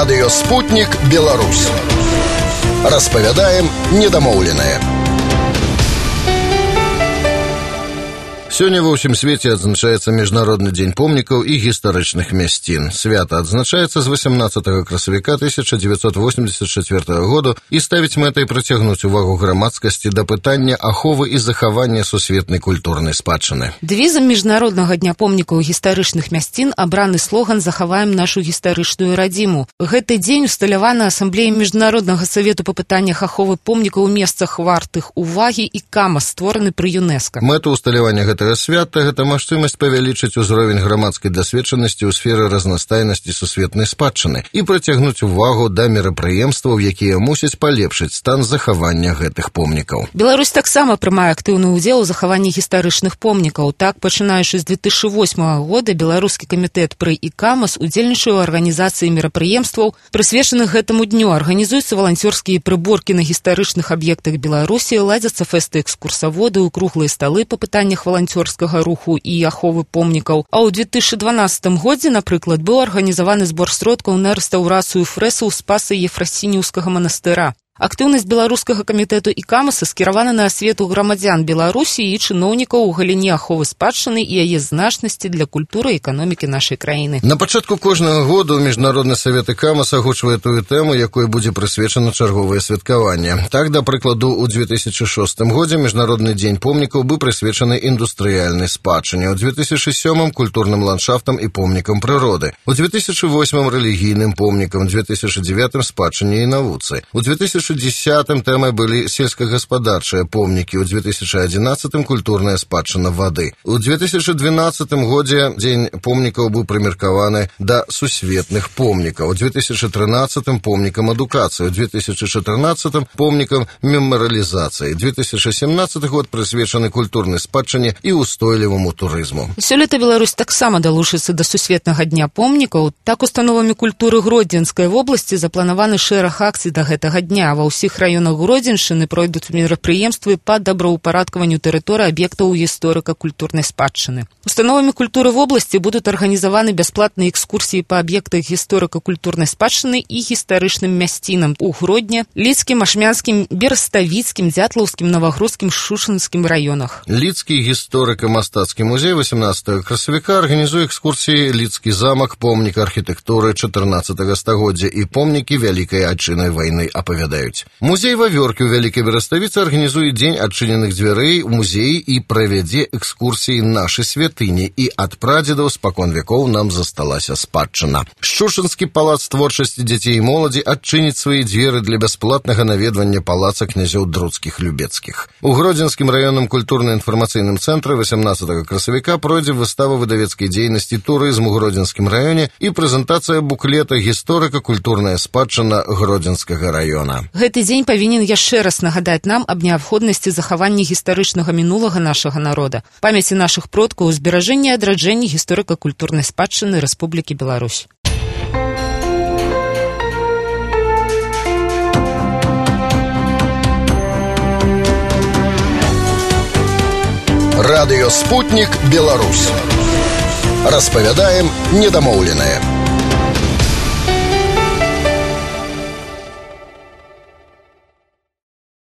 Радыё «Спутнік Беларусь». Распавядаем недамоўленае. Сёння ва ўсім свеце адзначаецца Міжнародны дзень помнікаў і гістарычных мясцін. Свята адзначаецца з 18 красавіка 1984 году і ставіць мэтай прыцягнуць увагу грамадскасці да пытання аховы і захавання сусветнай культурнай спадчыны. Дэвізам Міжнароднага дня помнікаў і гістарычных мясцін абраны слоган «Захаваем нашу гістарычную радзіму». Гэты дзень усталяваны Асамблеяй Міжнароднага савету па пытаннях аховы помнікаў у месцах вартых увагі і КАМАС, створаны пры ЮНЕСКО. Мэта усталявання гэтага свята – гэта магчымасць павялічыць узровень грамадскай дасведчанасці ў сферы разнастайнасці сусветнай спадчыны і прыцягнуць увагу да мерапрыемстваў, якія мусяць палепшыць стан захавання гэтых помнікаў. Беларусь таксама прымае актыўны ўдзел у захаванні гістарычных помнікаў. Так, пачынаючы з 2008 года, Беларускі камітэт пры КАМАС удзельнічае ў арганізацыі мерапрыемстваў, прысвечаных гэтаму дню. Арганізуюцца валанцёрскія прыборкі на гістарычных аб'ектах Беларусі, ладзяцца фэсты экскурсаводы, круглыя сталы па пытаннях валанцёрскага руху і аховы помнікаў. А ў 2012 годзе, напрыклад, быў арганізаваны збор сродкаў на рэстаўрацыю фрэсаў Спаса Ефрасініўскага манастыра. Актыўнасць Беларускага камітэту і КАМАСа скіравана на асвету грамадзян Беларусі і чыноўнікаў у галіне аховы спадчыны і яе значнасці для культуры і эканомікі нашай краіны. На пачатку кожнага году Міжнародны савет і КАМАС агучвае тую тэму, якой будзе прысвечана чарговае святкаванне. Так, да прыкладу, у 2006 годзе Міжнародны дзень помнікаў быў прысвечаны індустрыяльнай спадчыне, у 2007 культурным ландшафтам і помнікам прыроды, у 2008 рэлігійным помнікам, у 2009 спадчыне і навуцы, у 2010 тэмай былі сельскагаспадарчыя помнікі, у 2011 культурная спадчына вады. У 2012 годзе дзень помнікаў быў прымеркаваны да сусветных помнікаў, у 2013 помнікам адукацыі, у 2014 помнікам мемарыялізацыі, 2017 год прысвечаны культурнай спадчыне і устойліваму турызму. Сёлета Беларусь таксама далучыцца да сусветнага дня помнікаў. Так, установамі культуры Гродзенскай вобласці запланаваны шэраг акцый да гэтага дня. Ва ўсіх раёнах Гродзеншчыны пройдуць мерапрыемствы па добраўпарадкаванню тэрыторыі аб'ектаў гісторыка-культурнай спадчыны. Установамі культуры вобласці будуць арганізаваны бясплатныя экскурсіі па аб'ектах гісторыка-культурнай спадчыны і гістарычным мясцінам у Гродні, Лідскім, Ашмянскім, Бераставіцкім, Дзятлаўскім, Навагрудскім, Шушынскім раёнах. Лідскі гісторыка-мастацкі музей 18 красавіка арганізуе экскурсіі Лідскі замак, помнік архітэктуры 14 стагоддзя і помнікі Вялікай Адчыннай вайны апавядаюць. Музей Вавёркі ў Вялікай Бераставіцы арганізуе дзень адчыненых дзвярэй у музеі і правядзе экскурсіі нашы святыні, і ад прадзедаў спакон вякоў нам засталася спадчына. Шушынскі палац творчасці дзяцей і моладзі адчыніць свае дзверы для бясплатнага наведвання палаца князёў Друцкіх-Любецкіх. У Гродзенскім раённым культурна-інфармацыйным цэнтры 18 красавіка пройдзе выстава выдавецкай дзейнасці турызм у Гродзенскім раёне і прэзентацыя буклета «Гісторыка-культурная спадчына Гродзенскага раёна». Гэты дзень павінен яшчэ раз нагадаць нам аб неабходнасці захавання гістарычнага мінулага нашага народа, памяці нашых продкаў, зберажэння і адраджэння гісторыка-культурнай спадчыны Рэспублікі Беларусь. Радыё «Спутнік Беларусь». Распавядаем недамоўленае.